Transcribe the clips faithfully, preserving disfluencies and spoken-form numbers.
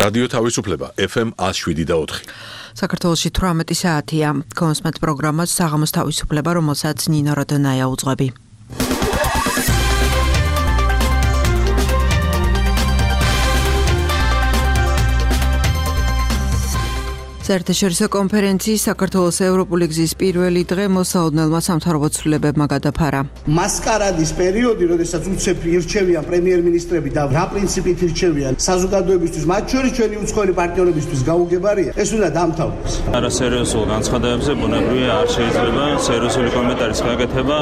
რადიო თავისუფლება ეფ ემ one oh seven და four. საქართველოში თვრამეტი საათია. კონსმეთ პროგრამას საღამოს თავისუფლება, რომელსაც ნინო როდონაია უძღვები. საერთაშორისო კონფერენციის საქართველოს ევროპული გზის პირველი დღე მოსაოდნელმა სამთავრობო ცვლილებებმა გადაფარა. მასკარადის პერიოდი, როდესაც უცებ ირჩევიან პრემიერ-მინისტრები და რა პრინციპით ირჩევიან საზოგადოებისთვის, მათ შორის ჩვენი უცხოელი პარტნიორებისთვის გაუგებარია, ეს უნდა დამთავრდეს. არასერიოზულ განცხადებებზე ბუნებრივია არ შეიძლება სერიოზული კომენტარის გაკეთება.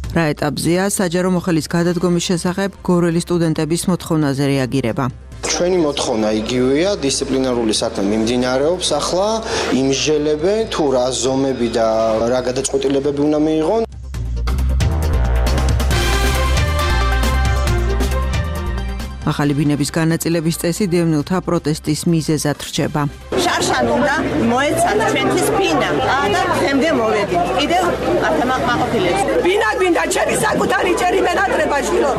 რა ეტაპზეა საჯარო მოხელის გადადგომის შესახებ გორელი სტუდენტების მოთხოვნაზე რეაგირება. ჩვენი მოთხოვნა იგივეა, დისციპლინარული საქმე მიმდინარეობს ახლა, იმსჯელებენ თუ რა ზომები და რა გადაწყვეტილებები უნდა მიიღონ. ახალი ბინების განაწილების წესი დევნილთა პროტესტის მიზეზად რჩება. შარშან უნდა მოეცათ ჩვენთვის ბინა და თემდე მოვედით. კიდევ ათემაყმაყოფილებს. ბინა გვინდა ჩემი საკუთარი ჭერი მენატრება შვილო.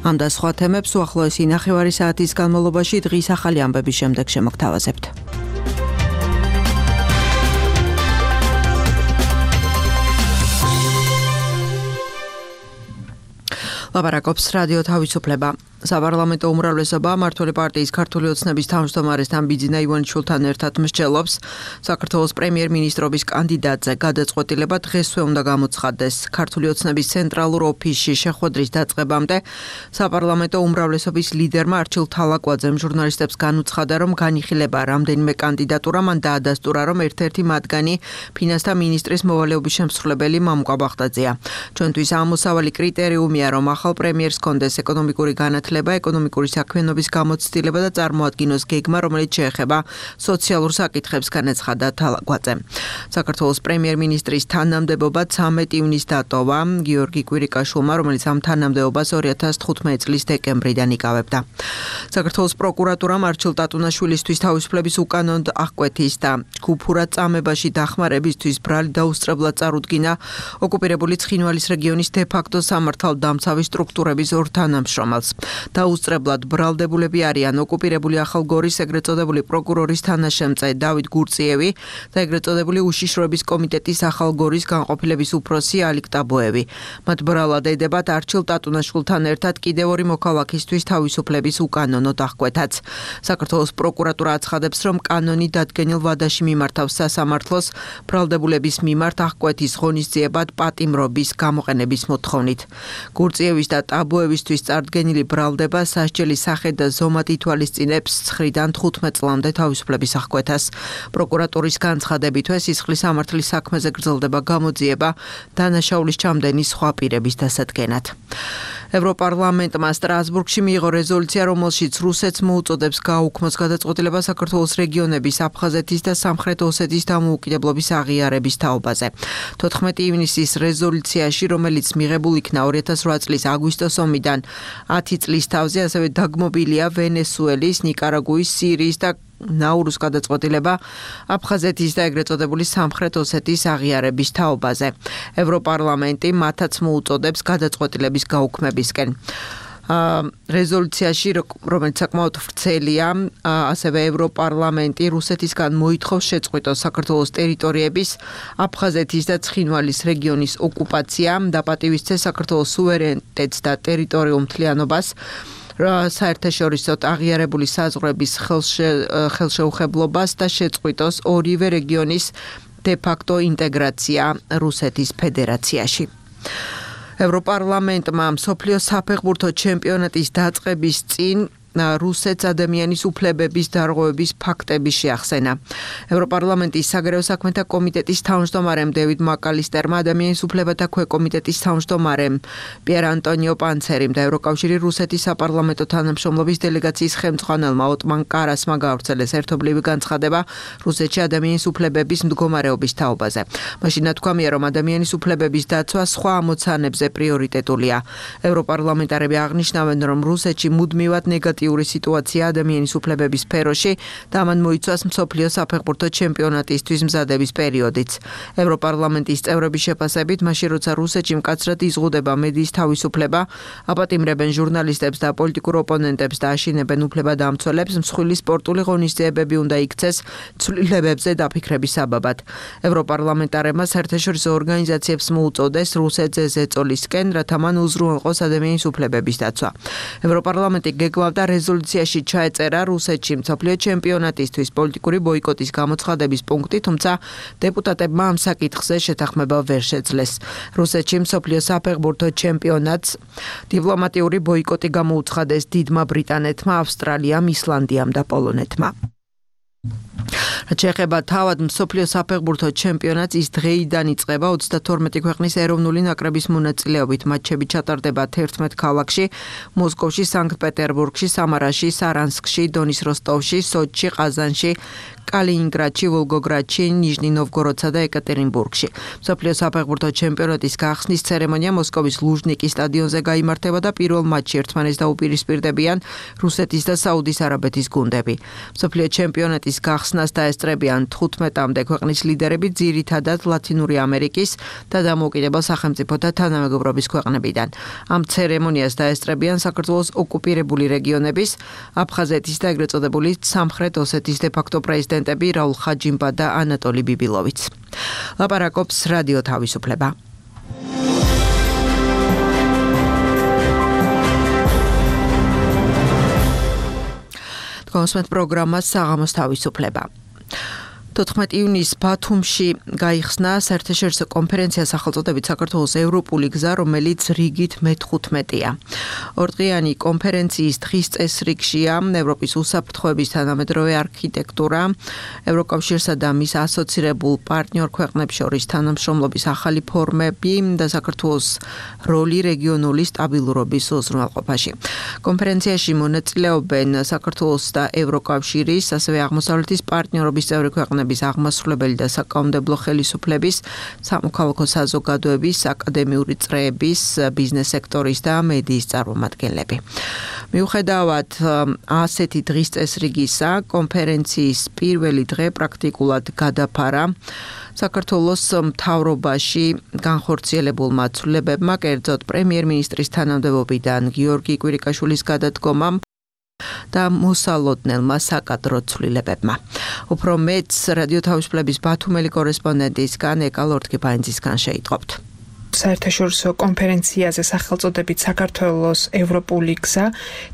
ამ და სხვა თემებს უახლოესი ნახევარი საათის განმავლობაში დღის ახალი ამბების შემდეგ შემოგთავაზებთ. ლაპარაკობს რადიო თავისუფლება. საპარლამენტო უმრავლესობა მმართველი პარტიის ქართული ოცნების თავმჯდომარესთან ბიძინა ივანიშვილთან ერთად მსჯელობს საქართველოს პრემიერ-მინისტრობის კანდიდატზე გადაწყვეტილება დღესვე უნდა გამოცხადდეს. ქართული ოცნების ცენტრალურ ოფისში შეხვედრის დაწყებამდე საპარლამენტო უმრავლესობის ლიდერმა არჩილ თალაკვაძემ ჟურნალისტებს განუცხადა, რომ განიხილება რამდენიმე კანდიდატურა, მან დაადასტურა, რომ ერთ-ერთი მათგანი ფინანსთა მინისტრის მოვალეობის შემსრულებელი მამუკა ბახტაძეა. ჩვენთვის ამოსავალი კრიტერიუმია, რომ ახალ პრემიერს კონდეს ეკონომიკური განათლება, ეკონომიკური საქმიანობის გამოცდილება და წარმოადგინოს გეგმა, რომელიც შეეხება სოციალურ საკითხებს, განაცხადა თალაკვაძემ. საქართველოს პრემიერ-მინისტრის თანამდებობა ცამეტი ივნისს დატოვა გიორგი კვირიკაშვილმა, რომელიც ამ თანამდებობას ორი ათას თხუთმეტი წლის დეკემბრიდან იკავებდა. საქართველოს პროკურატურამ არჩილ ტატუნაშვილისთვის თავისუფლების უკანონოდ აღკვეთის და ჯგუფურად წამებაში დახმარებისთვის ბრალი დაუსწრებლად წარუდგინა ოკუპირებული ცხინვალის რეგიონის დე-ფაქტო სამართალდამცავი სტრუქტურების ორ თანამშრომელს. დაუსწრებლად ბრალდებულები არიან ოკუპირებული ახალგორის ეგრეთ წოდებული პროკურორის თანაშემწე დავით გურწიევი და ეგრეთ წოდებული უშიშროების კომიტეტის ახალგორის განყოფილების უფროსი ალიკ ტაბოევი. მათ ბრალად ედებათ არჩილ ტატუნაშვილთან ერთად კიდევ ორი მოქალაქისთვის თავისუფლების უკანონოდ აღკვეთაც. საქართველოს პროკურატურა აცხადებს, რომ კანონი დადგენილ ვადაში მიმართავს სასამართლოს ბრალდებულების მიმართ აღკვეთის ღონისძიებად პატიმრობის გამოყენების მოთხოვნით. გურწიევის და ტაბოევისთვის წარდგენილი ბრალდება სასჯელის სახე და ზომად ითვალისწინებს ცხრიდან თხუთმეტ წლამდე თავისუფლების აღკვეთას. პროკურატურის განცხადებით, სისხლის სამართლის საქმეზე გრძელდება გამოძიება დანაშაულის ჩამდენი სხვა პირების დასადგენად. ევროპარლამენტმა სტრასბურგში მიიღო რეზოლუცია, რომელშიც რუსეთს მოუწოდებს გააუქმოს გადაწყვეტილება საქართველოს რეგიონების აფხაზეთის და სამხრეთ ოსეთის დამოუკიდებლობის აღიარების თაობაზე. თოთხმეტი ივნისის რეზოლუციაში, რომელიც მიღებულ იქნა ორი ათას რვა წლის აგვისტოს ომიდან ათი წლის თავზე, ასევე დაგმობილია ვენესუელის, ნიკარაგუის, სირიის და ნაურუს გადაწყვეტილება აფხაზეთის და ეგრეთ წოდებული სამხრეთ ოსეთის აღიარების თაობაზე. ევროპარლამენტი მათაც მოუწოდებს გადაწყვეტილების გაუქმებისკენ. რეზოლუციაში, რომელიც საკმაოდ ვრცელია, ასევე ევროპარლამენტი რუსეთისგან მოითხოვს შეწყვიტოს საქართველოს ტერიტორიების აფხაზეთის და ცხინვალის რეგიონის ოკუპაცია, დაპატივისცეს საქართველოს სუვერენიტეტს და ტერიტორიულ მთლიანობას, საერთაშორისო აღიარებული საზღვრების ხელშეუხებლობას და შეწყვიტოს ორივე რეგიონის დე-ფაქტო ინტეგრაცია რუსეთის ფედერაციაში. ევროპარლამენტმა მსოფლიოს საფეხბურთო ჩემპიონატის დაწყების წინ რუსეთს ადამიანის უფლებების დარღვევების ფაქტები შეახსენა. ევროპარლამენტის საგარეო საქმეთა კომიტეტის თავმჯდომარემ დევიდ მაკალისტერმა, ადამიანის უფლებათა ქვეკომიტეტის თავმჯდომარემ პიერ ანტონიო პანცერიმ და ევროკავშირი რუსეთის საპარლამენტო თანამშრომლობის დელეგაციის ხელმძღვანელმა ოტმან კარასმა გაავრცელეს ერთობლივი განცხადება რუსეთში ადამიანის უფლებების მდგომარეობის თაობაზე. მაშინ ნათქვამია, რომ ადამიანის უფლებების დაცვა სხვა ამოცანებზე პრიორიტეტულია. ევროპარლამენტარები აღნიშნავენ, რომ რუსეთში მუდმივად ნეგატიურ დრამატიული სიტუაცია ადამიანის უფლებების სფეროში და მან მოიცვას მსოფლიო საფეხბურთო ჩემპიონატისთვის მზადების პერიოდიც. ევროპარლამენტის წევრების შეფასებით, მაშინ როცა რუსეთში მკაცრად იზღუდება მედიის თავისუფლება, აპატიმრებენ ჟურნალისტებს და პოლიტიკურ ოპონენტებს და აშინებენ უფლებადამცველებს, მსხვილი სპორტული ღონისძიებები უნდა იქცეს ცვლილებებზე დაფიქრების საბაბად. ევროპარლამენტარებმა საერთაშორისო ორგანიზაციებს მოუწოდეს რუსეთზე ზეწოლისკენ, რათა მან უზრუნველყოს ადამიანის უფლებების დაცვა. ევროპარლამენტი გეგმავდა რეზოლუციაში ჩაეწერა რუსეთში მსოფლიო ჩემპიონატისთვის პოლიტიკური ბოიკოტის გამოცხადების პუნქტი, თუმცა დეპუტატებმა ამ საკითხზე შეთანხმება ვერ შეძლეს. რუსეთში მსოფლიო საფეხბურთო ჩემპიონატს დიპლომატიური ბოიკოტი გამოუცხადეს დიდმა ბრიტანეთმა, ავსტრალიამ, ისლანდიამ და პოლონეთმა. რაც შეეხება თავად მსოფლიო საფეხბურთო ჩემპიონატს, ის დღეიდან იწყება ოცდათორმეტი ქვეყნის ეროვნული ნაკრების მონაწილეობით. მატჩები ჩატარდება თერთმეტ ქალაქში: მოსკოვში, სანქტ-პეტერბურგში, სამარაში, სარანსკში, დონის როსტოვში, სოჩში, ყაზანში, კალინინგრადში, ვოლგოგრადში, ნიჟნი-ნოვგოროდსა და ეკატერინბურგში. მსოფლიო საფეხბურთო ჩემპიონატის გახსნის ცერემონია მოსკოვის ლუჟნიკის სტადიონზე გაიმართება და პირველ მატჩში ერთმანეთს დაუპირისპირდებიან რუსეთის და საუდის არაბეთის გუნდები. მსოფლიო ჩემპიონატის გახსნას დაესწრებიან თხუთმეტამდე ქვეყნის ლიდერები, ძირითადად ლათინური ამერიკის და დამოუკიდებელ სახელმწიფოთა თანამეგობრობის ქვეყნებიდან. ამ ცერემონიას დაესწრებიან საქართველოს ოკუპირებული რეგიონების, აფხაზეთის და ეგრეთ წოდებული სამხრეთ ოსეთის დე-ფაქტო პრეზიდენტები რაულ ხაჯიმბა და ანატოლი ბიბილოვიც. ლაპარაკობს რადიო თავისუფლება. კონსმეთ პროგრამა საღამოს თავისუფლება. თოთხმეტი ივნისს ბათუმში გაიხსნა საერთაშორისო კონფერენცია სახელწოდებით საქართველოს ევროპული გზა, რომელიც რიგით მეთხუთმეტია. ორდღიანი კონფერენციის დღის წესრიგშია ევროპის უსაფრთხოების თანამედროვე არქიტექტურა, ევროკავშირსა და მის ასოცირებულ პარტნიორ ქვეყნებს შორის თანამშრომლობის ახალი ფორმები და საქართველოს როლი რეგიონული სტაბილურობის უზრუნველყოფაში. კონფერენციაში მონაწილეობენ საქართველოს და ევროკავშირის, ასევე აღმოსავლეთის პარტნიორობის წევრი ქვეყნები, აღმასრულებელი და საკანონმდებლო ხელისუფლების, სამოქალაქო საზოგადოების, აკადემიური წრეების, ბიზნეს სექტორის და მედიის წარმომადგენლები. მიუხედავად ასეთი დღის წესრიგისა, კონფერენციის პირველი დღე პრაქტიკულად გადაფარა საქართველოს მთავრობაში განხორციელებულმა ცვლილებებმა, კერძოდ პრემიერ-მინისტრის თანამდებობიდან გიორგი კვირიკაშვილის გადადგომამ და მოსალოდნელმა საკადრო ცვლილებებმა. უფრო მეც რადიო თავისუფლების ბათუმელი კორესპონდენტისგან ეკა ლორთქიფაინძისგან შეიტყობთ. საერთაშორისო კონფერენციაზე სახელწოდებით საქართველოს ევროპული გზა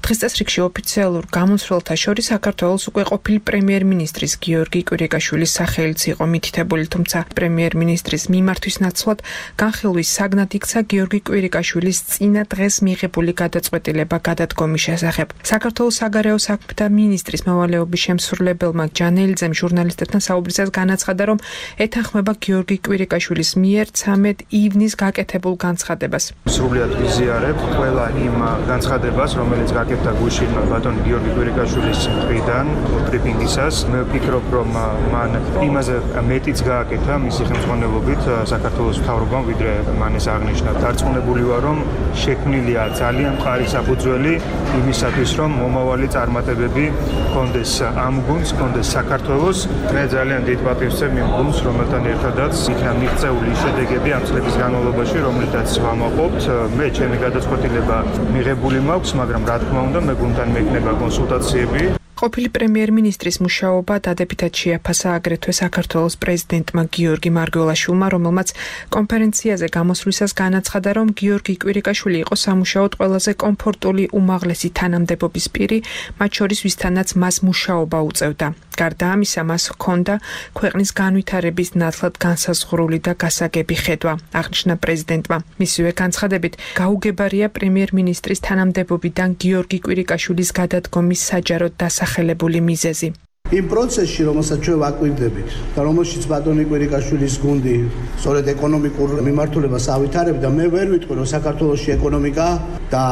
დღის წესრიგში ოფიციალურ გამოსვლელთა შორის საქართველოს უკვე ყოფილი პრემიერ-მინისტრის გიორგი კვირიკაშვილის სახელიც იყო მითითებული, თუმცა პრემიერ-მინისტრის მიმართვის ნაცვლად განხილვის საგნად იქცა გიორგი კვირიკაშვილის წინა დღეს მიღებული გადაწყვეტილება გადადგომის შესახებ. საქართველოს საგარეო საქმეთა მინისტრის მოვალეობის შემსრულებელმა ჯანელიძემ ჟურნალისტებთან საუბრისას განაცხადა, რომ ეთანხმება გიორგი კვირიკაშვილის მიერ ცამეტ ივნის გაკეთებულ განცხადებას. სრულიად ვიზიარებ ყველა იმ განცხადებას, რომელიც გაკეთდა გუშინ ბატონ გიორგი კვირიკაშვილის მხრიდან ბრიფინგისას. მე ვფიქრობ, რომ მან იმაზე მეტიც გააკეთა მისი ხელმძღვანელობით საქართველოს მთავრობამ, ვიდრე მან ეს აღნიშნა. დარწმუნებული ვარ, რომ შექმნილია ძალიან მყარი საფუძველი იმისათვის, რომ მომავალი წარმატებები კონდეს ამ გუნდს, კონდეს საქართველოს. მე ძალიან დიდ პატივს ვცემ იმ გუნდს, რომელთან ერთადაც იქნა მიღწეული შედეგები ამ წლების განმავლობაში, რომლითაც ვამაყობთ. მე ჩემი გადაწყვეტილება მიღებული მაქვს, მაგრამ რა თქმა უნდა, მე გუნდთან მექნება კონსულტაციები. ყოფილი პრემიერ-მინისტრის მუშაობა დადებითად შეაფასა აგრეთვე საქართველოს პრეზიდენტმა გიორგი მარგველაშვილმა, რომელმაც კონფერენციაზე გამოსვლისას განაცხადა, რომ გიორგი კვირიკაშვილი იყო სამუშაოდ ყველაზე კომფორტული უმაღლესი თანამდებობის პირი, მათ შორის ვისთანაც მას მუშაობა უწევდა. გარდა ამისა, მას ჰქონდა ქვეყნის განვითარების ნათლად განსაზღვრული და გასაგები ხედვა, აღნიშნა პრეზიდენტმა. მისივე განცხადებით, გაუგებარია პრემიერ-მინისტრის თანამდებობიდან გიორგი კვირიკაშვილის გადადგომის საჯაროდ დასახელებული მიზეზი. იმ პროცესში, რომელსაც ჩვენ ვაკვირდებით და რომელშიც ბატონი კვირიკაშვილის გუნდი სწორედ ეკონომიკურ მიმართულებას ავითარებდა, მე ვერ ვიტყვი, რომ საქართველოში ეკონომიკა და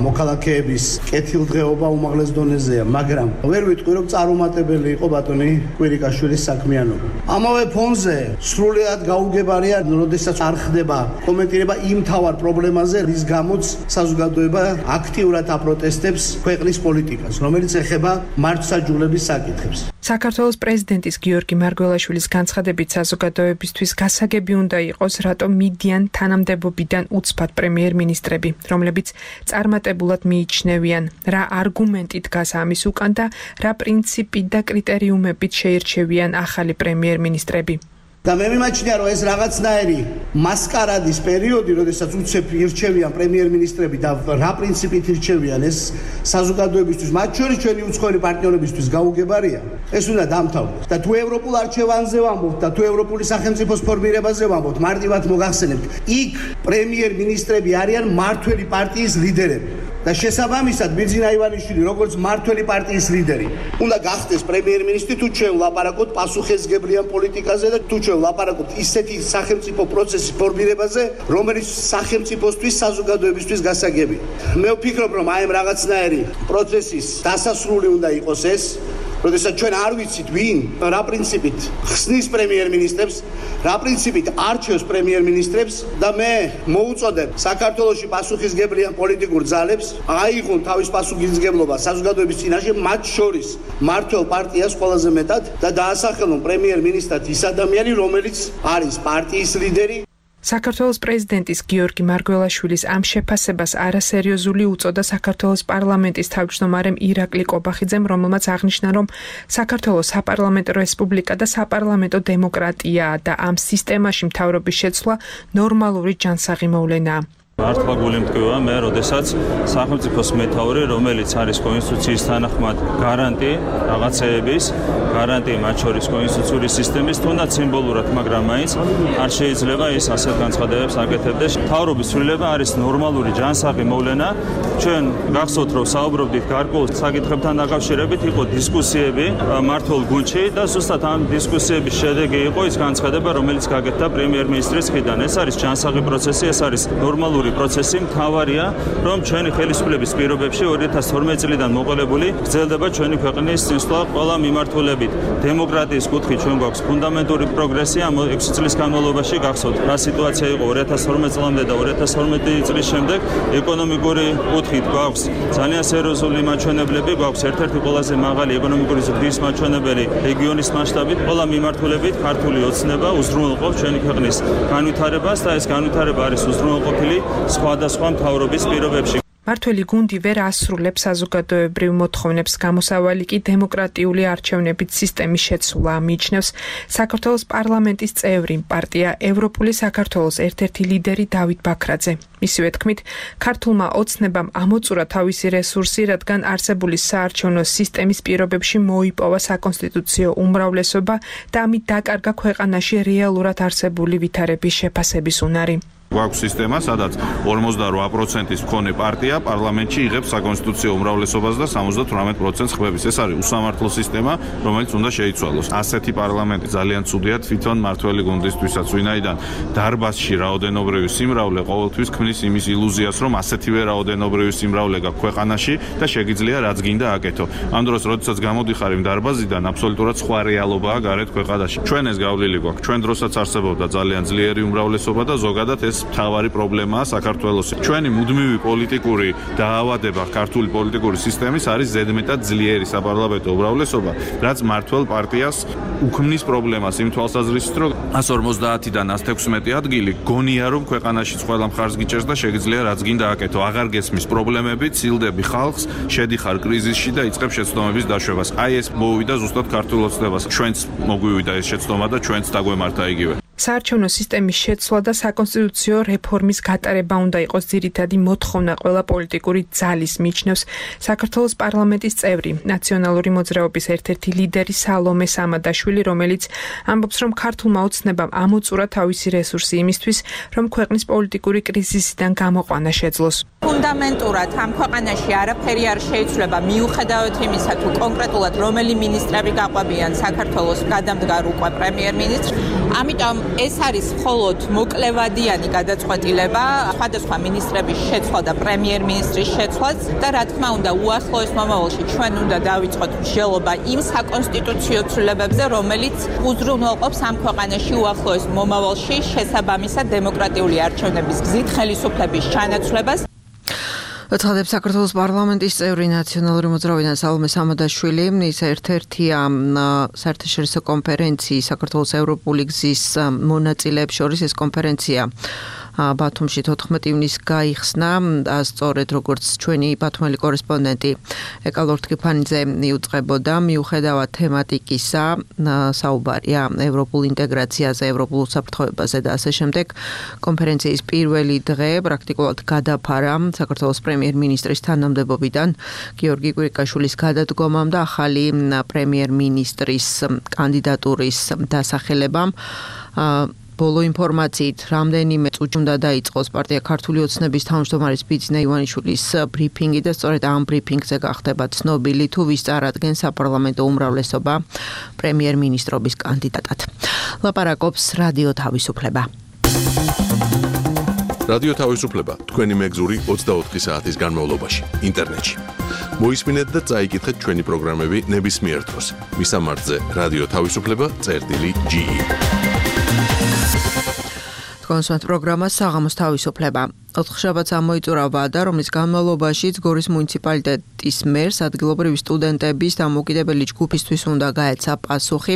მოქალაქეების კეთილდღეობა უმაღლეს დონეზეა, მაგრამ ვერ ვიტყვი, რომ წარუმატებელი იყო ბატონი კვირიკაშვილის საქმიანობა. ამავე ფონზე სრულიად გაუგებარია, როდესაც არ ხდება კომენტირება იმ თავარ პრობლემაზე, რის გამოც საზოგადოება აქტიურად აპროტესტებს ქვეყნის პოლიტიკას, რომელიც ეხება მართლმსაჯულების საკითხებს. საქართველოს პრეზიდენტის გიორგი მარგველაშვილის განცხადებით საზოგადოებისთვის გასაგები უნდა იყოს, რატომ მიდიან თანამდებობიდან უცბად პრემიერ-მინისტრები, რომლებიც წარმატებულად მიიჩნევიან, რა არგუმენტი დგას ამის უკან და რა პრინციპით და კრიტერიუმებით შეირჩევიან ახალი პრემიერ-მინისტრები. და მე მიმაჩნია, რომ ეს რაღაცნაირი მასკარადის პერიოდი, როდესაც უცებ ირჩევიან პრემიერ-მინისტრები და რა პრინციპით ირჩევიან, ეს საზოგადოებისთვის, მათ შორის ჩვენი უცხოელი პარტნიორებისთვის გაუგებარია. ეს უნდა დამთავრდეს. და თუ ევროპულ არჩევანზე ვამბობთ და თუ ევროპული სახელმწიფოს ფორმირებაზე ვამბობთ, მარტივად მოგახსენებთ, იქ პრემიერ-მინისტრები არიან მმართველი პარტიის ლიდერები. და შესაბამისად ბიძინა ივანიშვილი, როგორც მმართველი პარტიის ლიდერი, უნდა გახდეს პრემიერ-მინისტრი, თუ ჩვენ ვლაპარაკობთ პასუხისმგებლიან პოლიტიკაზე და თუ ჩვენ ვლაპარაკობთ ისეთი სახელმწიფო პროცესის ფორმირებაზე, რომელიც სახელმწიფოსთვის, საზოგადოებისთვის გასაგებია. მე ვფიქრობ, რომ აი ამ რაღაცნაირი პროცესის დასასრული უნდა იყოს ეს, როდესაც ჩვენ არ ვიცით ვინ, რა პრინციპით ხსნის პრემიერ-მინისტრებს, რა პრინციპით არჩევს პრემიერ-მინისტრებს და მე მოუწოდებ საქართველოში პასუხისმგებლიან პოლიტიკურ ძალებს აიღონ თავის პასუხისმგებლობა საზოგადოების წინაშე, მათ შორის მმართველ პარტიას ყველაზე მეტად და დაასახელონ პრემიერ-მინისტრად ის ადამიანი, რომელიც არის პარტიის ლიდერი. საქართველოს პრეზიდენტის გიორგი მარგველაშვილის ამ შეფასებას არასერიოზული უწოდა საქართველოს პარლამენტის თავმჯდომარემ ირაკლი კობახიძემ, რომელმაც აღნიშნა, რომ საქართველოს საპარლამენტო რესპუბლიკა და საპარლამენტო დემოკრატიაა და ამ სისტემაში მთავრობის შეცვლა ნორმალური ჯანსაღი მოვლენაა. მართლა გული მტკივა მე, როდესაც სახელმწიფოს მეთაური, რომელიც არის კონსტიტუციის თანახმად გარანტი რაღაცეების, გარანტი მათ შორის კონსტიტუციური სისტემის, თუნდაც სიმბოლურად, მაგრამ მაინც არ შეიძლება ის ასეთ განცხადებებს აკეთებდეს. მთავრობის ცვლილება არის ნორმალური ჯანსაღი მოვლენა. ჩვენ გახსოვთ, რომ საუბრობდით გარკვეულ საკითხებთან დაკავშირებით, იყო დისკუსიები მმართველ გუნდში და ზუსტად ამ დისკუსიების შედეგი იყო ის განცხადება, რომელიც გაკეთდა პრემიერ-მინისტრის მხრიდან. ეს არის ჯანსაღი პროცესი, ეს არის ნორმალური პროცესი. მთავარია, რომ ჩვენი ხელისუფლების პირობებში ორი ათას თორმეტი წლიდან მოყოლებული გრძელდება ჩვენი ქვეყნის წინსვლა ყველა მიმართულებით. დემოკრატიის კუთხით ჩვენ გვაქვს ფუნდამენტური პროგრესი ამ ექვსი წლის განმავლობაში. გახსოვთ, რა სიტუაცია იყო ორი ათას თორმეტი წლამდე და ორი ათას თორმეტი წლის შემდეგ. ეკონომიკური კუთხით გვაქვს ძალიან სერიოზული მაჩვენებლები, გვაქვს ერთ-ერთი ყველაზე მაღალი ეკონომიკური ზრდის მაჩვენებელი რეგიონის მასშტაბით. ყველა მიმართულებით ქართული ოცნება უზრუნველყოფს ჩვენი ქვეყნის განვითარებას და ეს განვითარება არის უზრუნველყოფილი სხვადასხვა მთავრობის პირობებში. მმართველი გუნდი ვერ ასრულებს საზოგადოებრივ მოთხოვნებს, გამოსავალი კი დემოკრატიული არჩევნებით სისტემის შეცვლა, მიიჩნევს საქართველოს პარლამენტის წევრი პარტია ევროპული საქართველოს ერთ-ერთი ლიდერი დავით ბაქრაძე. მისივე თქმით, ქართულმა ოცნებამ ამოწურა თავისი რესურსი, რადგან არსებული საარჩევნო სისტემის პირობებში მოიპოვა საკონსტიტუციო უმრავლესობა და ამით დაკარგა ქვეყანაში რეალურად არსებული ვითარების შეფასების უნარი. გვაქვს სისტემა, სადაც ორმოცდარვა პროცენტის მქონე პარტია პარლამენტში იღებს საკონსტიტუციო უმრავლესობას და სამოცდათვრამეტ პროცენტს ხვევს. ეს არის უსამართლო სისტემა, რომელიც უნდა შეიცვალოს. ასეთი პარლამენტი ძალიან ცუდია თვითონ მმართველი გუნდისთვისაც, ვინაიდან დარბაზში რაოდენობრივი სიმრავლე ყოველთვის ქმნის იმის ილუზიას, რომ ასეთივე რაოდენობრივი სიმრავლე გაქვს ქვეყანაში და შეგიძლია რაც გინდა აკეთო. ამ დროს, როდესაც გამოდიხარ იმ დარბაზიდან, აბსოლუტურად სხვა რეალობაა გარეთ ქვეყანაში. ჩვენ ეს გავლილი გვაქვს. ჩვენ დროსაც არსებობდა ძალიან ძლიერი უმრავლესობა და ზოგადად ეს მთავარი პრობლემაა საქართველოს. ჩვენი მუდმივი პოლიტიკური დაავადება ქართული პოლიტიკური სისტემის არის ზედმეტად ძლიერი საპარლამენტო უმრავლესობა, რაც მმართველ პარტიას უქმნის პრობლემას იმ თვალსაზრისით, რომ ას ორმოცდაათიდან ას თექვსმეტი ადგილი გონია, რომ ქვეყანაშიც ყველა მხარს გიჭერს და შეგიძლია რაც გინდა აკეთო. აღარ გესმის პრობლემები, ცილდები ხალხს, შედიხარ კრიზისში და იწყებ შეცდომების დაშვებას. აი ეს მოვიდა ზუსტად ქართულ ოცნებას. ჩვენც მოგვივიდა ეს შეცდომა და ჩვენც დაგვემართა იგივე. საარჩევნო სისტემის შეცვლა და საკონსტიტუციო რეფორმის გატარება უნდა იყოს ძირითადი მოთხოვნა ყველა პოლიტიკური ძალის, მიიჩნევს საქართველოს პარლამენტის წევრი, ნაციონალური მოძრაობის ერთ-ერთი ლიდერი სალომე სამადაშვილი, რომელიც ამბობს, რომ ქართულმა ოცნებამ ამოწურა თავისი რესურსი იმისთვის, რომ ქვეყნის პოლიტიკური კრიზისიდან გამოყვანა შეძლოს. ფუნდამენტურად ამ ქვეყანაში არაფერი არ შეიცვლება მიუხედავად იმისა, თუ კონკრეტულად რომელი მინისტრები გაყვებიან საქართველოს გადამდგარ უკვე პრემიერ-მინისტრს. ამიტომ ეს არის მხოლოდ მოკლევადიანი გადაწყვეტილება სხვადასხვა მინისტრების შეცვლა და პრემიერ-მინისტრის შეცვლაც და რა თქმა უნდა უახლოეს მომავალში ჩვენ უნდა დავიწყოთ მსჯელობა იმ საკონსტიტუციო ცვლილებებზე, რომელიც უზრუნველყოფს ამ ქვეყანაში უახლოეს მომავალში შესაბამისად დემოკრატიული არჩევნების გზით ხელისუფლების ჩანაცვლებას. ცხადებს საქართველოს პარლამენტის წევრი ნაციონალური მოძრავიდან სალომე სამადაშვილი, ის ერთ-ერთია საერთაშორისო კონფერენციის საქართველოს ევროპული გზის მონაწილეებს შორის ეს კონფერენცია ბათუმში თოთხმეტი ივნისს გაიხსნა, სწორედ როგორც ჩვენი ბათუმელი კორესპონდენტი ეკალორ თქიფანიძე იუწყებოდა, მიუხედავად თემატიკისა, საუბარია ევროპულ ინტეგრაციაზე, ევროპულ უსაფრთხოებაზე და ასე შემდეგ. კონფერენციის პირველი დღე პრაქტიკულად გადაფარა საქართველოს პრემიერ-მინისტრის თანამდებობიდან გიორგი კვირიკაშვილის გადადგომამ და ახალი პრემიერ-მინისტრის კანდიდატურის დასახელებამ. ბოლო ინფორმაციით, რამდენიმე წუთში უნდა დაიწყოს პარტია ქართული ოცნების თავმჯდომარის ბიძინა ივანიშვილის ბრიფინგი და სწორედ ამ ბრიფინგზე გახდება ცნობილი, თუ ვის წარადგენს საპარლამენტო უმრავლესობა პრემიერ-მინისტრობის კანდიდატად. ლაპარაკობს რადიო თავისუფლება. რადიო თავისუფლება თქვენი მეგზური ოცდაოთხი საათის განმავლობაში ინტერნეტში. მოისმინეთ და წაიკითხეთ ჩვენი პროგრამები ნებისმიერ დროს. მისამართზე რადიო თავისუფლება წერტილი ჯი ი. კონსულტ პროგრამა საღამოს თავისუფლება. ოთხშაბათს ამოიწურა ვადა, რომლის განმავლობაშიც გორის მუნიციპალიტეტის მერს ადგილობრივი სტუდენტების დამოუკიდებელი ჯგუფისთვის უნდა გაეცა პასუხი.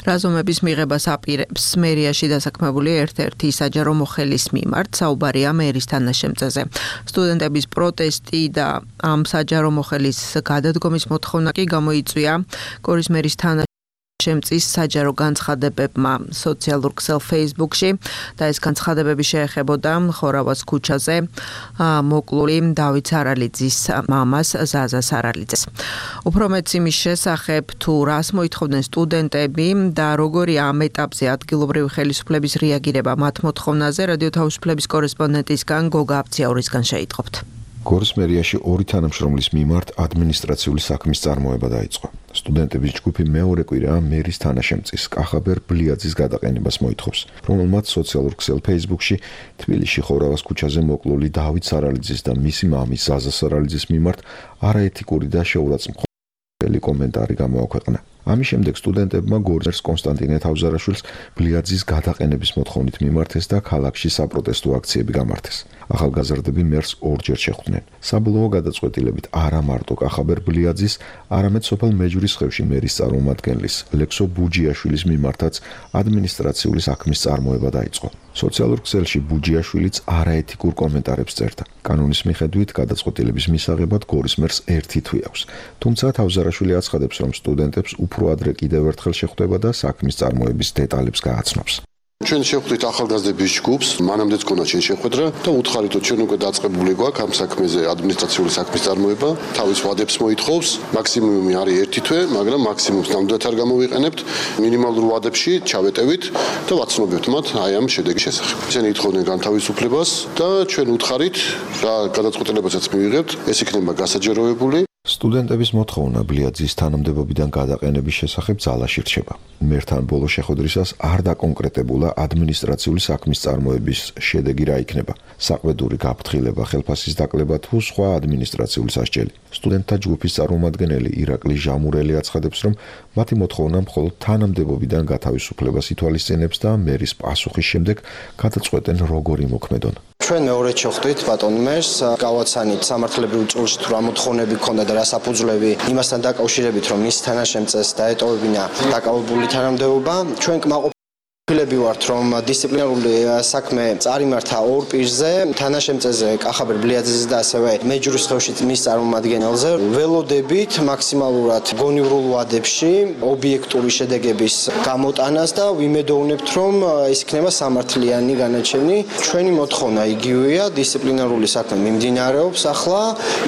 რაზომების მიღებას აპირებს მერიაში დასაქმებული ერთ-ერთი საჯარო მოხელის მიმართ, საუბარია მერის თანაშემწეზე. სტუდენტების პროტესტი და ამ საჯარო მოხელის გადადგომის მოთხოვნა კი გამოიწვია გორის მერის თანაშემწეზე შემწის საჯარო განცხადებებმა სოციალურ ქსელ Facebook-ში და ეს განცხადებები შეეხებოდა ხორავას ქუჩაზე მოკლული დავით სარალიძის მამას ზაზა სარალიძეს. უფრო მეც იმის შესახებ, თუ რას მოითხოვდნენ სტუდენტები და როგორია ამ ეტაპზე ადგილობრივი ხელისუფლების რეაგირება მათ მოთხოვნაზე, რადიო თავისუფლების კორესპონდენტისგან გოგა აბციაურისგან შეიტყობთ. გორის მერიაში ორი თანამშრომლის მიმართ ადმინისტრაციული საქმის წარმოება დაიწყო. სტუდენტების ჯგუფი მეორე კვირა მერის თანაშემწის კახაბერ ბლიაძის გადაყენებას მოითხოვს, რომელმაც სოციალურ ქსელ Facebook-ში თბილისში ხორავას ქუჩაზე მოკლული დავით სარალიძის და მისი მამის ზაზა სარალიძის მიმართ არაეთიკური და შეურაცხმყოფელი კომენტარი გამოაქვეყნა. ამის შემდეგ სტუდენტებმა გორის კონსტანტინე თავზარაშვილს ბლიაძის გადაყენების მოთხოვნით მიმართეს და ქალაქში საპროტესტო აქციები გამართეს. ახალგაზრდები მერს ორჯერ შეხვდნენ. საბოლოო გადაწყვეტილებით არა მარტო კახაბერ ბლიაძის, არამედ სოფელ მეჯვრისხევში მერის წარმომადგენლის ლექსო ბუჯიაშვილის მიმართაც ადმინისტრაციული საქმის წარმოება დაიწყო. სოციალურ ქსელში ბუჯიაშვილიც არაეთიკურ კომენტარებს წერდა. კანონის მიხედვით გადაწყვეტილების მისაღებად გორის მერს ერთი თვე აქვს. თუმცა თავზარაშვილი აცხადებს, რომ სტუდენტებს უფრო ადრე კიდევ ერთხელ შეხვდება და საქმის წარმოების დეტალებს გააცნობს. ჩვენ შევხვდით ახალგაზრდების ჯგუფს, მანამდეც გქონდა ჩვენ შეხვედრა და უთხარით, რომ ჩვენ უკვე დაწყებული გვაქვს ამ საქმეზე ადმინისტრაციული საქმის წარმოება, თავის ვადებს მოითხოვს, მაქსიმუმი არის ერთი თვე, მაგრამ მაქსიმუმს ნამდვილად არ გამოვიყენებთ, მინიმალურ ვადებში ჩავეტევით და ვაცნობებთ მათ აი ამ შედეგის შესახებ. ისინი ითხოვდნენ განთავისუფლებას და ჩვენ უთხარით და გადაწყვეტილებასაც მივიღებთ, ეს იქნება გასაჯეროებული. სტუდენტების მოთხოვნა ბლიაძის თანამდებობიდან გადაყენების შესახებ ძალაში რჩება. მერთან ბოლო შეხვედრისას არ დაკონკრეტებულა ადმინისტრაციული საქმის წარმოების შედეგი რა იქნება. საყვედური გაფრთხილება, ხელფასის დაკლება თუ სხვა ადმინისტრაციული სასჯელი. სტუდენტთა ჯგუფის წარმომადგენელი ირაკლი ჟამურელი აცხადებს, რომ მათი მოთხოვნა მხოლოდ თანამდებობიდან გათავისუფლებას ითვალისწინებს და მერის პასუხის შემდეგ გადაწყვეტენ როგორი მოქმედონ. ჩვენ მეორედ შეხვდით ბატონ მერს, გავაცანით სამართლებრივ წულში თუ რა მოთხოვნები ქონდა და რა საფუძვლები იმასთან დაკავშირებით, რომ მის თანაშემწეს დაეტოვებინა დაკავებული თანამდებობა. ჩვენ კმაყოფილები ვართ, რომ დისციპლინარული საქმე წარიმართა ორ პირზე, თანაშემწეზე კახაბერ ბლიაძის და ასევე მეჯვრისხევში მის წარმომადგენელზე. ველოდებით მაქსიმალურად გონივრულ ვადებში ობიექტური შედეგების გამოტანას და ვიმედოვნებთ, რომ ეს იქნება სამართლიანი განაჩენი. ჩვენი მოთხოვნა იგივეა, დისციპლინარული საქმე მიმდინარეობს ახლა,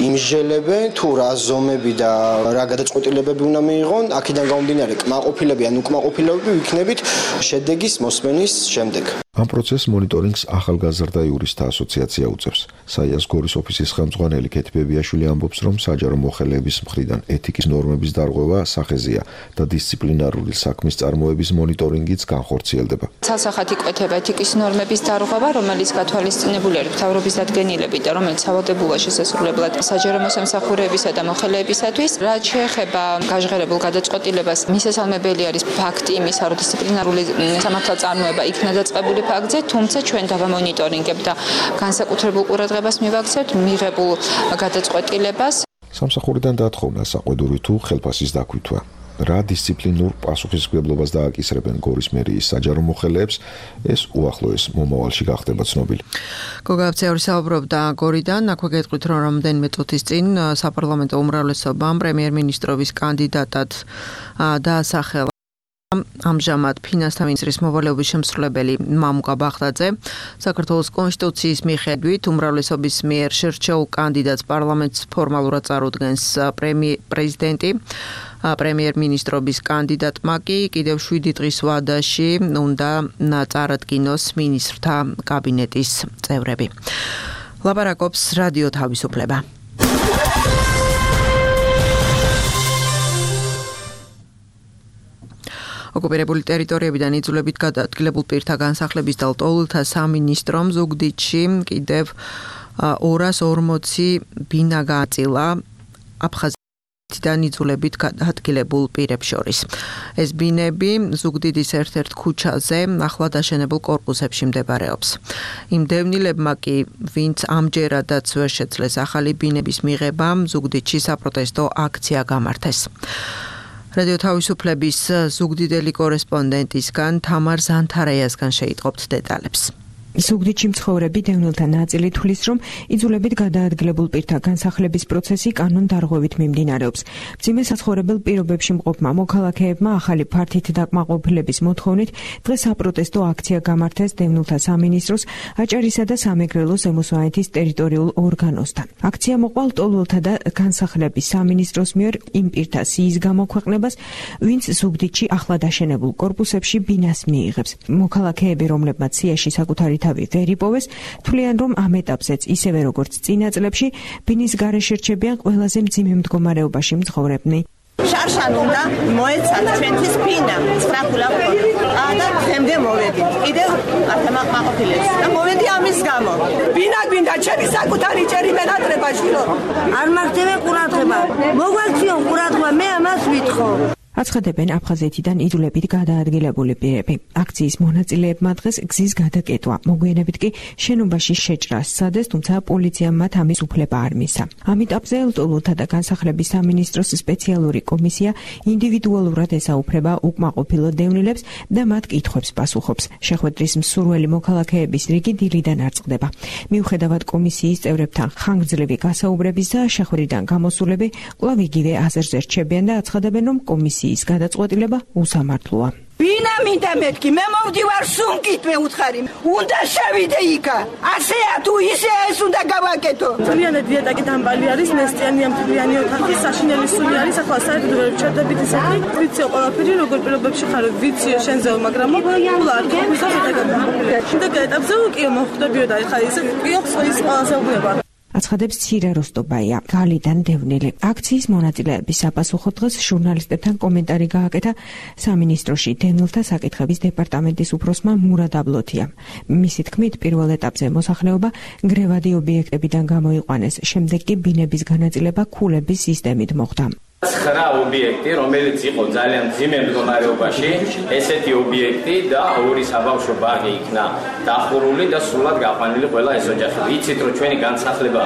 იმსჯელებენ თუ რა ზომები და რა გადაწყვეტილებები უნდა მიიღონ, აქედან გამომდინარე კმაყოფილები ან უკმაყოფილები ვიქნებით შედეგის მოსმენის შემდეგ. ამ პროცესს მონიტორინგს ახალგაზრდა იურისტთა ასოციაცია უწევს. საიას გორის ოფისის ხელმძღვანელი ქეთი ბებიაშვილი ამბობს, რომ საჯარო მოხელეების მხრიდან ეთიკის ნორმების დარღვევა სახეზეა და დისციპლინარული საქმის წარმოების მონიტორინგიც განხორციელდება. ცალსახად იკვეთება ეთიკის ნორმების დარღვევა, რომელიც გათვალისწინებული არის მთავრობის დადგენილებით და რომელიც სავალდებულოა შესაძლებლად საჯარო მოსამსახურეებისა და მოხელეებისათვის. რაც შეეხება გაჟღერებულ გადაწყვეტილებას, მისასალმებელი არის ფაქტი იმისა, რომ დისციპლინარული სამართალწარმოება იქნა დაწყებული ფაქტზე, თუმცა ჩვენ დავამონიტორინგებთ და განსაკუთრებულ ყურადღებას მივაქცევთ მიღებულ გადაწყვეტილებას. სამსახურიდან დაათხოვნა საყვედური თუ ხელფასის დაქვითვა. რა დისციპლინურ პასუხისმგებლობას დააკისრებენ გორის მერიის საჯარო მოხელეებს, ეს უახლოეს მომავალში გახდება ცნობილი. გოგა აფცეური საუბრობდა გორიდან, აქვე გეტყვით, რომ რამდენიმე წუთის წინ საპარლამენტო უმრავლესობამ პრემიერ-მინისტრობის კანდიდატად დაასახელა ამჟამად ფინანსთა მინისტრის მოვალეობის შემსრულებელი მამუკა ბაღდაძე. საქართველოს კონსტიტუციის მიხედვით უმრავლესობის მიერ შერჩეულ კანდიდატს პარლამენტს ფორმალურად წარუდგენს პრეზიდენტი. პრემიერ-მინისტრობის კანდიდატმა კი კიდევ შვიდი დღის ვადაში უნდა წარადგინოს მინისტრთა კაბინეტის წევრები. ლაპარაკობს რადიო თავისუფლება. ოკუპირებული ტერიტორიებიდან იძულებით გადაადგილებულ პირთა განსახლების და ლტოლვილთა სამინისტრომ ზუგდიდში კიდევ ორას ორმოცი ბინა გააწილა აფხაზეთიდან იძულებით გადაადგილებულ პირებს შორის. ეს ბინები ზუგდიდის ერთ-ერთ ქუჩაზე ახლად აშენებულ კორპუსებში მდებარეობს. იმ დევნილებმა კი, ვინც ამჯერადაც ვერ შეძლეს ახალი ბინების მიღება, ზუგდიდში საპროტესტო აქცია გამართეს. რადიო თავისუფლების ზუგდიდელი კორესპონდენტისგან თამარ ზანთარაიასგან შეიტყობთ დეტალებს. ზუგდიდში მცხოვრები დევნილთა ნაწილი თვლის, რომ იძულებით გადაადგილებულ პირთა განსახლების პროცესი კანონდარღვევით მიმდინარეობს. მძიმე საცხოვრებელ პირობებში მყოფმა მოქალაქეებმა ახალი ფართით დაკმაყოფილების მოთხოვნით დღეს საპროტესტო აქცია გამართეს დევნილთა სამინისტროს აჭარისა და სამეგრელო ზემო-სვანეთის ტერიტორიულ ორგანოსთან. აქცია მოყვა ლტოლვილთა და განსახლების სამინისტროს მიერ იმ პირთა სიის გამოქვეყნებას, ვინც ზუგდიდში ახლად აშენებულ კორპუსებში ბინას მიიღებს. მოქალაქეები, რომლებმაც სიაში საკუთარი თავი ვერ იპოვეს, თვლიან, რომ ამ ეტაპზეც ისევე როგორც წინა წლებში ბინის გარეშე რჩებიან ყველაზე მძიმე მდგომარეობაში მცხოვრებნი. შარშან უნდა მოეცათ ჩვენთვის ბინა სწრაფულად და თემდე მოვედი კიდევ ათამაყმაყოფილებს და მოვედი ამის გამო ბინა გვინდა ჩემი საკუთარი ჭერი მენატრება შვილო არ მახდები ყურადღება მოგვაქციო ყურადღება მე ამას ვითხოვ. აცხადებენ აფხაზეთიდან იძულებით გადაადგილებული პირები. აქციის მონაწილეებმა დღეს გზის გადაკეტვა, მოგვიანებით კი შენობაში შეჭრა სცადეს, თუმცა პოლიციამ მათ ამის უფლება არ მისცა. ამ ეტაპზე ლტოლვილთა და განსახლების სამინისტროს სპეციალური კომისია ინდივიდუალურად ესაუფრება უკმაყოფილო დევნილებს და მათ კითხვებს პასუხობს. შეხვედრის მსურველი მოქალაქეების რიგი დილიდან არ წყდება. მიუხედავად კომისიის წევრებთან ხანგრძლივი გასაუბრების და შეხვედრიდან გამოსულები კვლავ იგივე აზერზე რჩებიან და აცხადებენ, რომ კომისიის ის გადაწყვეტილება უსამართლოა. ბინა მინდა მეთქი, მე მოვდივარ სუნკით მე უთხარი. უნდა შევიდე იქა. ასეა თუ ისეა ეს უნდა გავაკეთო. თლიანად დიეტაკი დამბალი არის, მესტიანი ამ თლიანი ოთახი, საშინელი სული არის, ახლა საერთოდ ვერ ვჩერდებით ისეთი. ვიციო ყველაფერი როგორ პირობებში ხარ, ვიციო შენზეო, მაგრამ ულა არ გიგვიზავ დაგამოხდა. შემდეგ ეტაპზე უკიო მოხდებიო და ახლა ის კიოხს ის ყველაზე უგნება. აცხადებს ცირა როსტობაია, გალიდან დევნილი. აქციის მონაწილეების საპასუხო დღეს ჟურნალისტებთან კომენტარი გააკეთა სამინისტროში დევნილთა საკითხების დეპარტამენტის უფროსმა მურად აბლოთიამ. მისი თქმით, პირველ ეტაპზე მოსახლეობა გრევადი ობიექტებიდან გამოიყვანეს, შემდეგ კი ბინების განაწილება ქულების სისტემით მოხდა. ცხრა ობიექტი, რომელიც იყო ძალიან მძიმე მდგომარეობაში, ესეთი ობიექტი და ორი საბავშვო ბაღი იქნა დახურული და სრულად გაყვანილი ყველა ეს ოჯახი. ვიცით, რომ ჩვენი განსახლება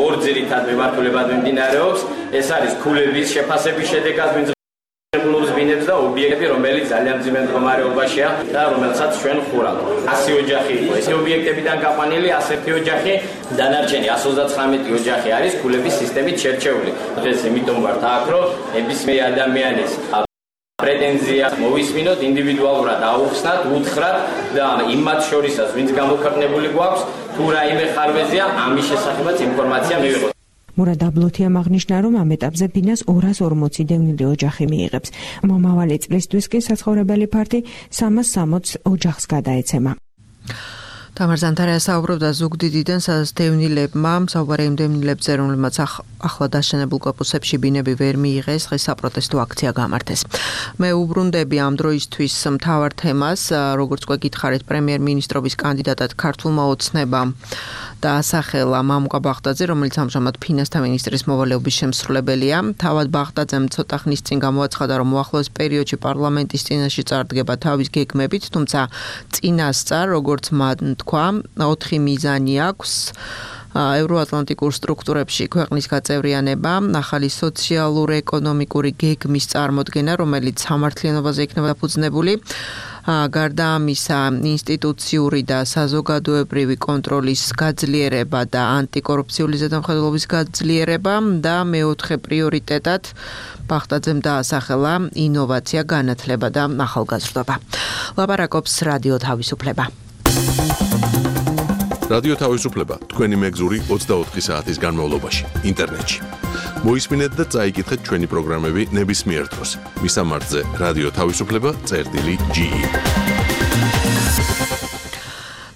ორ ძირითად მიმართულებად მიმდინარეობს. ეს არის ქულების შეფასების შედეგად მიღებულობის ბინებს და ობიექტები, რომელიც ძალიან მძიმე მდგომარეობაშია და რომელსაც ჩვენ ხურავთ. ასი ოჯახი იყო ეს ობიექტებიდან გაყვანილი, ასეთი ოჯახი, დანარჩენი εκατს ოცდათხრამეტი ოჯახი არის ქულების სისტემით შერჩეული. დღეს იმიტომ ვართ აქ, რომ ნებისმიერ ადამიანის პრეტენზია მოვისმინოთ, ინდივიდუალურად აუხსნათ, უთხრათ და იმათ შორისაც, ვინც გამოქვეყნებული გვაქვს, თუ რაიმე ხარვეზია, ამის შესახებაც ინფორმაცია მივიღოთ. მურად აბლოთიამ აღნიშნა, რომ ამ ეტაპზე ბინას ორას ორმოცი დევნილი ოჯახი მიიღებს. მომავალი წლისთვის კი საცხოვრებელი ფართი სამას სამოცს ოჯახს გადაეცემა. თამარ ზანთარია საუბრობდა ზუგდიდიდან, სადაც დევნილებმა საუბარი იმ დევნილებებზე, რომლებმაც ახლა დაშენებულ კორპუსებში ბინები ვერ მიიღეს, დღეს საპროტესტო აქცია გამართეს. მე უბრუნდები ამ დროისთვის მთავარ თემას, როგორც უკვე გითხარით, პრემიერ-მინისტრობის კანდიდატად ქართულმა ოცნებამ დაასახელა მამუკა ბაღდაძე, რომელიც ამჟამად ფინანსთა მინისტრის მოვალეობის შემსრულებელია. თავად ბაღდაძემ ცოტა ხნის წინ გამოაცხადა, რომ უახლოეს პერიოდში პარლამენტის წინაშე წარდგება თავის გეგმებით, თუმცა წინასწარ, როგორც მან თქვა, ოთხი მიზანი აქვს. ევროატლანტიკურ სტრუქტურებში ქვეყნის გაწევრიანება, ახალი სოციალურ-ეკონომიკური გეგმის წარმოდგენა, რომელიც სამართლიანობაზე იქნება დაფუძნებული, გარდა ამისა, ინსტიტუციური და საზოგადოებრივი კონტროლის გაძლიერება და ანტიკორუფციული ზედამხედველობის გაძლიერება და მეოთხე პრიორიტეტად ბაღდაძემ დაასახელა ინოვაცია, განათლება და ახალგაზრდობა. ლაპარაკობს რადიო თავისუფლება. რადიო თავისუფლება თქვენი მეგზური ოცდაოთხი საათის განმავლობაში ინტერნეტში. მოისმინეთ და წაიკითხეთ ჩვენი პროგრამები ნებისმიერ დროს. მისამართზე რადიო თავისუფლება წერტილი ჯი ი.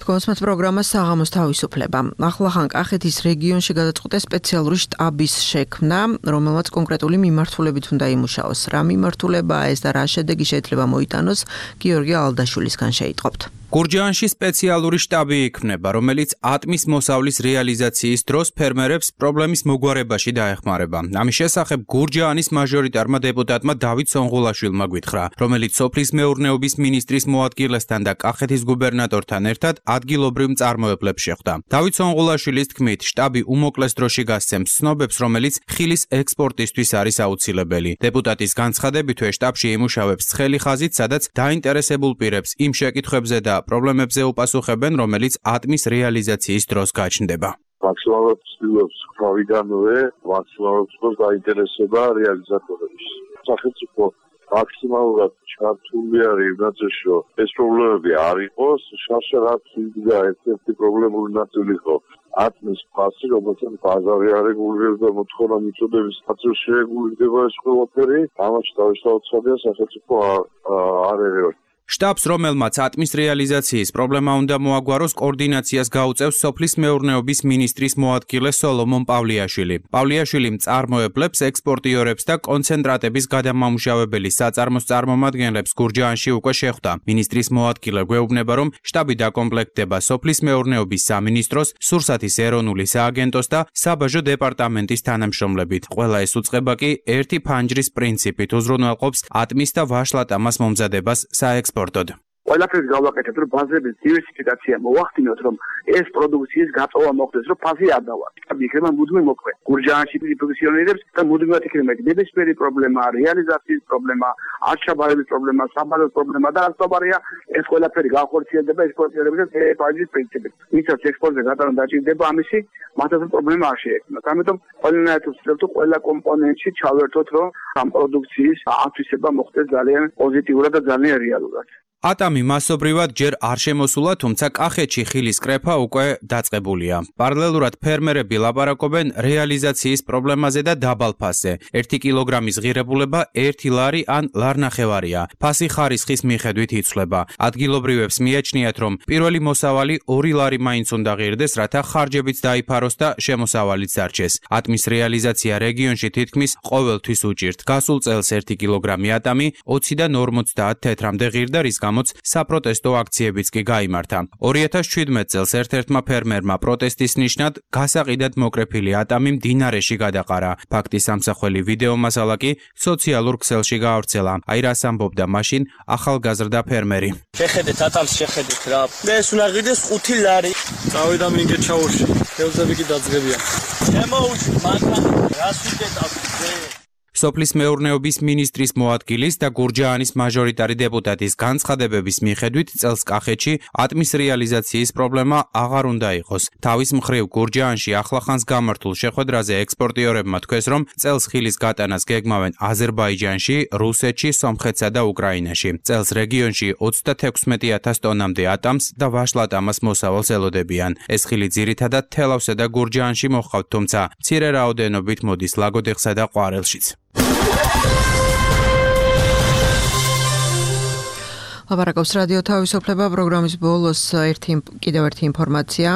თქვენს პროგრამას საღამოს თავისუფლება. ახლახან კახეთის რეგიონში გადაწყვეტა სპეციალური შტაბის შექმნა, რომელმაც კონკრეტული მიმართულებით უნდა იმუშაოს. რა მიმართულებაა ეს და რა შედეგი შეიძლება მოიტანოს, გიორგი ალდაშვილისგან შეიტყობთ. გურჯაანში სპეციალური შტაბი იქმნება, რომელიც ატმის მოსავლის რეალიზაციის დროს ფერმერებს პრობლემის მოგვარებაში დაეხმარება. ამის შესახებ გურჯაანის მაჟორიტარმა დეპუტატმა დავით სონღულაშვილმა გვითხრა, რომელიც სოფლის მეურნეობის მინისტრის მოადგილესთან და კახეთის გუბერნატორთან ერთად ადგილობრივ მწარმოებლებს შეხვდა. დავით სონღულაშვილის თქმით, შტაბი უმოკლეს დროში გასცემს ცნობებს, რომელიც ხილის ექსპორტისთვის არის აუცილებელი. დეპუტატის განცხადებითვე შტაბში იმუშავებს ცხელი ხაზით, სადაც დაინტერესებულ პირებს იმ შეკითხვებზე და პრობლემებზე უპასუხებენ, რომელიც ატმის რეალიზაციის დროს გაჩნდება. მაქსიმალურად ცდილობს თავიდანვე, მაქსიმალურად ცდილობს დაინტერესება რეალიზატორების. სახელმწიფო მაქსიმალურად ჩართული არის იმ ნაწილში, რომ ეს პრობლემები არ იყოს, შარშარად იდგა ერთ-ერთი პრობლემური ნაწილი იყო ატმის ფასი, რომელსაც ბაზარი არ რეგულირებს და მოთხოვნა მიწოდების ნაწილში რეგულირდება ეს ყველაფერი, ამაში თავისთავადია სახელმწიფო არ ერევა. შტაბს, რომელმაც ატმის რეალიზაციის პრობლემა უნდა მოაგვაროს, კოორდინაციას გაუწევს სოფლის მეურნეობის მინისტრის მოადგილე სოლომონ პავლიაშვილი. პავლიაშვილი მწარმოებლებს, ექსპორტიორებს და კონცენტრატების გადამამუშავებელი საწარმოს წარმომადგენლებს გურჯაანში უკვე შეხვდა. მინისტრის მოადგილე გვეუბნება, რომ შტაბი დაკომპლექტდება სოფლის მეურნეობის სამინისტროს, სურსათის ეროვნული სააგენტოს და საბაჟო დეპარტამენტის თანამშრომლებით. ყველა ეს უწყება კი ერთი ფანჯრის პრინციპით უზრუნველყოფს ატმის და ვაშლატამას მომზადებას საექსპორტო ყველაფერს გავაკეთებთ, რომ ბაზრების დივერსიფიკაცია მოახდინოთ, რომ ეს პროდუქციის გაწოვა მოხდეს, რომ ფაზი არ დავარ. იქნება მუდმივ მოქმედ. გურჯაანში ფუნქციონირებს და მუდმივად იქნება ნებისმიერი პრობლემა, რეალიზაციის პრობლემა, არჩაბარების პრობლემა, საბადოს პრობლემა და ასწავარია ეს ყველაფერი განხორციელდება ექსპორტიორებისას ფაზის პრინციპით. ვისაც ექსპორტზე გატანა დაჭირდება ამისი, მათაც პრობლემა არ შეექმნათ. ამიტომ ყველანაირად ვცდილობთ ყველა კომპონენტში ჩავერთოთ, რომ ამ პროდუქციის ათვისება მოხდეს ძალიან პოზიტიურად და ძალიან რეალურად. ატამი მასობრივად ჯერ არ შემოსულა, თუმცა კახეთში ხილის კრეფა უკვე დაწყებულია. პარალელურად ფერმერები ლაპარაკობენ რეალიზაციის პრობლემაზე და დაბალ ფასზე. ერთი კილოგრამის ღირებულება ერთი ლარი ან ლარნახევარია. ფასი ხარისხის მიხედვით იცვლება. ადგილობრივებს მიაჩნიათ, რომ პირველი მოსავალი ორი ლარი მაინც უნდა ღირდეს, რათა ხარჯებიც დაიფაროს და შემოსავალიც დარჩეს. ატმის რეალიზაცია რეგიონში თითქმის ყოველთვის უჭირთ. გასულ წელს ერთი კილოგრამი ატამი ოციდან ორმოცდაათ თეთრამდე ღირდა, რის გამოც საპროტესტო აქციებიც კი გაიმართა. ორი ათას შვიდმეტ წელს ერთ-ერთმა ფერმერმა პროტესტის ნიშნად გასაყიდად მოკრეფილი ატამი მდინარეში გადაყარა. ფაქტის სამსახველი ვიდეო მასალა კი სოციალურ ქსელში გაავრცელა. აი რას ამბობდა მაშინ ახალგაზრდა ფერმერი. შეხედეთ ატამს, შეხედეთ რა. მე ეს უნდა ღირდეს ხუთი ლარი. წავიდა მინგე ჩაურში. ხელზები კი დაძგებიან. შემოუშვი მანქანა. რას ვიდეთავ? სოფლის მეურნეობის მინისტრის მოადგილის და გურჯაანის მაჟორიტარი დეპუტატის განცხადებების მიხედვით წელს კახეთში ატმის რეალიზაციის პრობლემა აღარ უნდა იყოს. თავის მხრივ გურჯაანში ახლახანს გამართულ შეხვედრაზე ექსპორტიორებმა თქვეს, რომ წელს ხილის გატანას გეგმავენ აზერბაიჯანში, რუსეთში, სომხეთსა და უკრაინაში. წელს რეგიონში ოცდათექვსმეტი ათას ტონამდე ატამს და ვაშლატამას მოსავალს ელოდებიან. ეს ხილი ძირითადად თელავსა და გურჯაანში მოჰყავთ, თუმცა მცირე რაოდენობით მოდის ლაგოდეხსა და ყვარელშიც. ლაპარაკობს რადიო თავისუფლება პროგრამის ბოლოს ერთი კიდევ ერთი ინფორმაცია.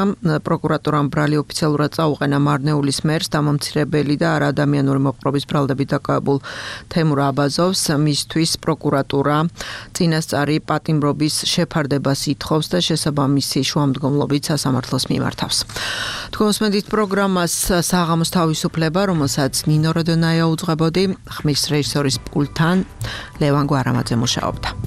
პროკურატურამ ბრალი ოფიციალურად წაუყენა მარნეულის მერს დამამცირებელი და არაადამიანური მოყრობის ბრალდებით დაკავებულ თემურ აბაზოვს. მისთვის პროკურატურა წინასწარი პატიმრობის შეფარდებას ითხოვს და შესაბამისი შუამდგომლობით სასამართლოს მიმართავს. თქვენ მოსმენთ პროგრამას საღამოს თავისუფლება, რომელსაც ნინო როდონაია უძღვებოდი, ხმის რეჟისორის პულტთან ლევან გვარამაძე მუშაობდა.